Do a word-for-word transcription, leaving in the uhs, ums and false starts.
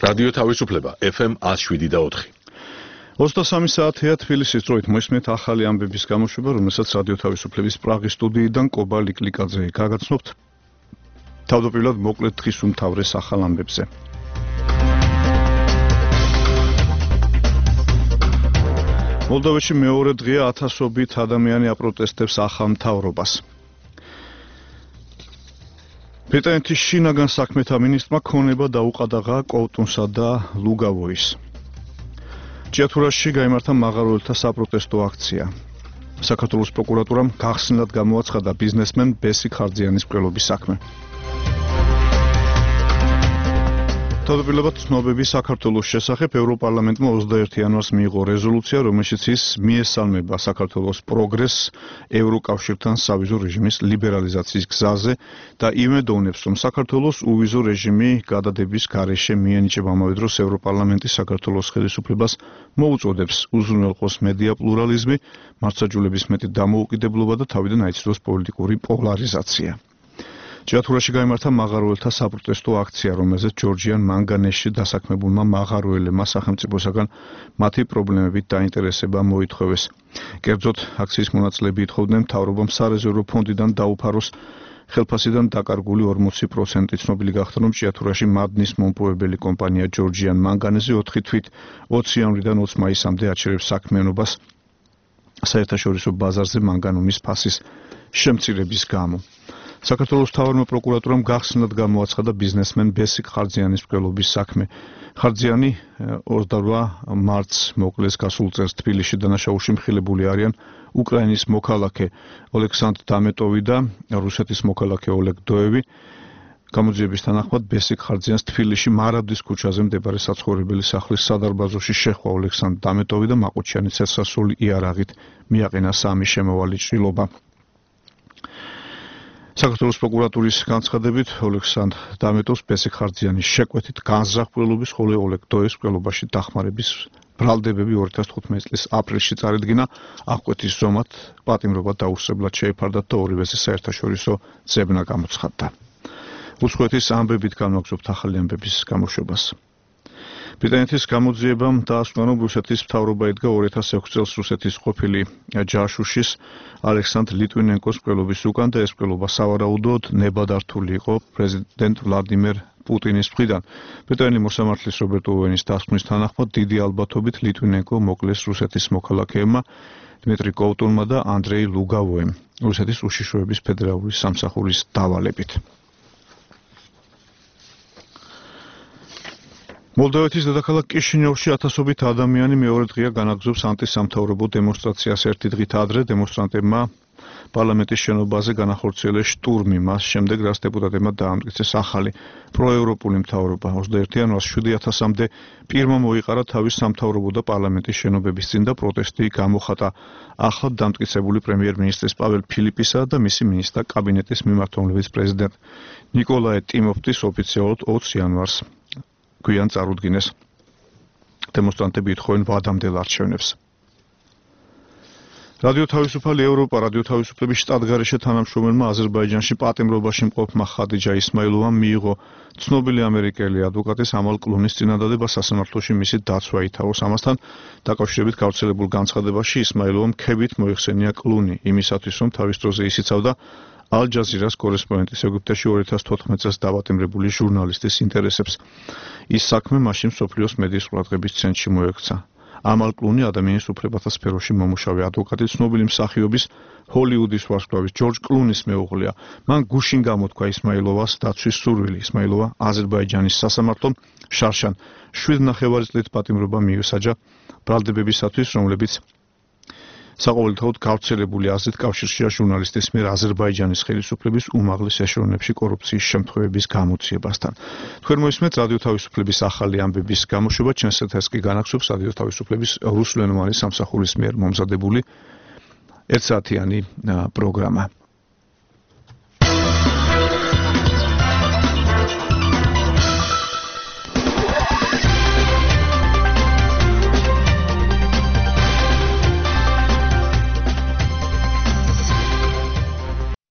რადიო თავისუფლება ეფ ემ one oh seven და four. ოცდასამი საათია თბილისის დროით მოისმენთ ახალი ამბების გამოშვება, რომელსაც რადიო თავისუფლების პრაღის სტუდიიდან კობა ლიკლიკაძე გაგაცნობთ. თავდაპირველად მოკლედ დღის უმთავრეს ახალ ამბებზე. მოლდოვეთში მეორე დღეა ათასობით ადამიანი აპროტესტებს ახალ მთავრობას. ბრიტანეთის შინაგან საქმეთა მინისტრმა ქონება დაუყადაღა კოუტუნსა და ლუგავოის. ჭიათურაში გაიმართა მაღაროელთა საპროტესტო აქცია. საქართველოს პროკურატურამ გახსნილად გამოაცხადა ბიზნესმენ ბესიკ ხარძიანის მკვლელობის საქმე. თავდაპირველად ცნობები საქართველოს შესახებ ევროპარლამენტმა ოცდაერთი იანვარს მიიღო რეზოლუცია, რომელშიც ის მიესალმება საქართველოს პროგრესს ევროკავშირთან სავიზო რეჟიმის ლიბერალიზაციის გზაზე და იმედოვნებს, რომ საქართველოს უვიზო რეჟიმი გადადების გარეშე მიენიჭება ამავე დროს ევროპარლამენტის საქართველოს ხელისუფლებას მოუწოდებს უზრუნველყოს მედია პლურალიზმი, მართლმსაჯულების მეტი დამოუკიდებლობა და თავიდან აიცდოს პოლიტიკური პოლარიზაცია. ჭიათურაში გაიმართა მაღაროელთა საპროტესტო აქცია, რომელზეც ჯორჯიან მანგანესში დასაქმებულმა მაღაროელებმა სახელმწიფოსაგან მათი პრობლემებით დაინტერესება მოითხოვეს. კერძოდ, აქციის მონაწილეები ითხოვდნენ მთავრობამ სარეზერვო ფონდიდან დაუფაროს ხელფასიდან დაკარგული ორმოცი პროცენტი. ცნობილი გახდა, რომ ჭიათურაში მადნის მომპოვებელი კომპანია ჯორჯიან მანგანეზე ოთხი თვით ოცი იანვრიდან ოცი მაისამდე აჩერებს საქმიანობას საერთაშორისო ბაზარზე მანგანუმის ფასის შემცირების გამო. საქართველოს მთავარმა პროკურატურამ გახსნილად გამოაცხადა ბიზნესმენ ბესიკ ხარძიანის მკვლელობის საქმე. ხარძიანი ოცდაორ მარტს მოკლეს გასულ წელს თბილისში დანაშაულში მხილებული არიან უკრაინის მოქალაქე ოლექსანდრ დამეტოვი და რუსეთის მოქალაქე ოლეგ დოევი. გამოძიების თანახმად ბესიკ ხარძიანს თბილისში მარაბდის ქუჩაზე მდებარე საცხოვრებელი სახლის სადარბაზოში შეხვა ოლექსანდრ დამეტოვი და მაყუჩიანის ცეცხლსასროლი იარაღით მიაყენა სამი შემოვალი ჭრილობა. საქართველოს პროკურატურის განცხადებით ოლექსანდრ დამეტოვს ბესიკ ხარძიანის შეკვეთით განზრახ-მკვლელობის, ხოლო ოლეგ დოევის მკვლელობაში დახმარების ბრალდებები ორი ათას თხუთმეტი წლის აპრილში წარედგინა. აღკვეთის ზომად პატიმრობა დაუსწრებლად შეეფარდათ და ორივეზე საერთაშორისო ძებნა გამოცხადდა. უცხოეთის ამბებით განვაგრძობთ ახალი ამბების გამოშვებას. ბრიტანეთის გამოძიებამ დაასკვნა, რომ რუსეთის მთავრობა ედგა ორი ათას ექვსი წელს რუსეთის ყოფილი ჯაშუშის ალექსანდრ ლიტვინენკოს მკვლელობის უკან და ეს მკვლელობა სავარაუდოდ ნებადართული იყო პრეზიდენტ ვლადიმერ პუტინის მხრიდან. ბრიტანელი მოსამართლის რობერტ ოუენის დასკვნის თანახმად დიდი ალბათობით ლიტვინენკო მოკლეს რუსეთის მოქალაქეებმა დმიტრი კოუტუნმა და ანდრეი ლუგავოემ რუსეთის უშიშროების ფედერალური სამსახურის დავალებით. მოლდოვეთის დედაქალაქ კიშინიოვში ათასობით ადამიანი მეორე დღეა განაგრძობს ანტისამთავრობო დემონსტრაციას. ერთი დღით ადრე დემონსტრანტებმა პარლამენტის შენობაზე განახორციელეს შტურმი, მას შემდეგ რაც დეპუტატებმა დაამტკიცეს ახალი პროევროპული მთავრობა. ოცდაერთი იანვარს შვიდი ათასამდე პირმა მოიყარა თავის სამთავრობო და პარლამენტის შენობების წინ და პროტესტი გამოხატა ახლად დამტკიცებული პრემიერ-მინისტრის პაველ ფილიპისა და მისი მინისტრთა კაბინეტის მიმართულების პრეზიდენტ ნიკოლაე ტიმოფტის ოფიციალურად ოცი იანვარს გვიან წარუდგინეს. დემონსტრანტები ითხოვენ ვადამდელ არჩევნებს. რადიო თავისუფალი ევროპა რადიო თავისუფლების შტატგარეშე თანამშრომელმა აზერბაიჯანში პატიმრობაში მყოფმა ხადიჯა ისმაილოვამ მიიღო ცნობილი ამერიკელი ადვოკატის ამალ კლუნის წინადადება სასამართლოში მისი დაცვა ითავოს. ამასთან დაკავშირებით გავრცელებულ განცხადებაში ისმაილოვამ ქებით მოიხსენია კლუნი იმისათვის, რომ თავის დროზე ისიცავდა ალ-ჯაზირას კორესპონდენტის ეგვიპტეში ორი ათას თოთხმეტ წელს დავატიმრებული ჟურნალისტის ინტერესებს. ის საქმე მაშინ მსოფლიოს მედიის ყურადღების ცენტრში მოექცა. ამალ კლუნი ადამიანის უფლებათა სფეროში მომუშავე ადვოკატი, ცნობილი მსახიობის ჰოლივუდის ვარსკვლავის ჯორჯ კლუნის მეუღლეა. მან გუშინ გამოთქვა ისმაილოვას დაცვის სურვილი. ისმაილოვა აზერბაიჯანის სასამართლომ შარშან შვიდ ნახევარი წლით პატიმრობა მიუსაჯა ბრალდებებისათვის, რომლებიც საყოველთაოდ გავრცელებული აზრით კავშირშია ჟურნალისტის მიერ აზერბაიჯანის ხელისუფლების უმაღლეს ეშელონებში კორუფციის შემთხვევების გამოძიებასთან. თქვენ მოისმენთ რადიო თავისუფლების ახალი ამბების გამოშვება, ჩვენს ეთერს კი განაგრძობს რადიო თავისუფლების რუსულენოვანი სამსახურის მიერ მომზადებული ერთსაათიანი პროგრამა.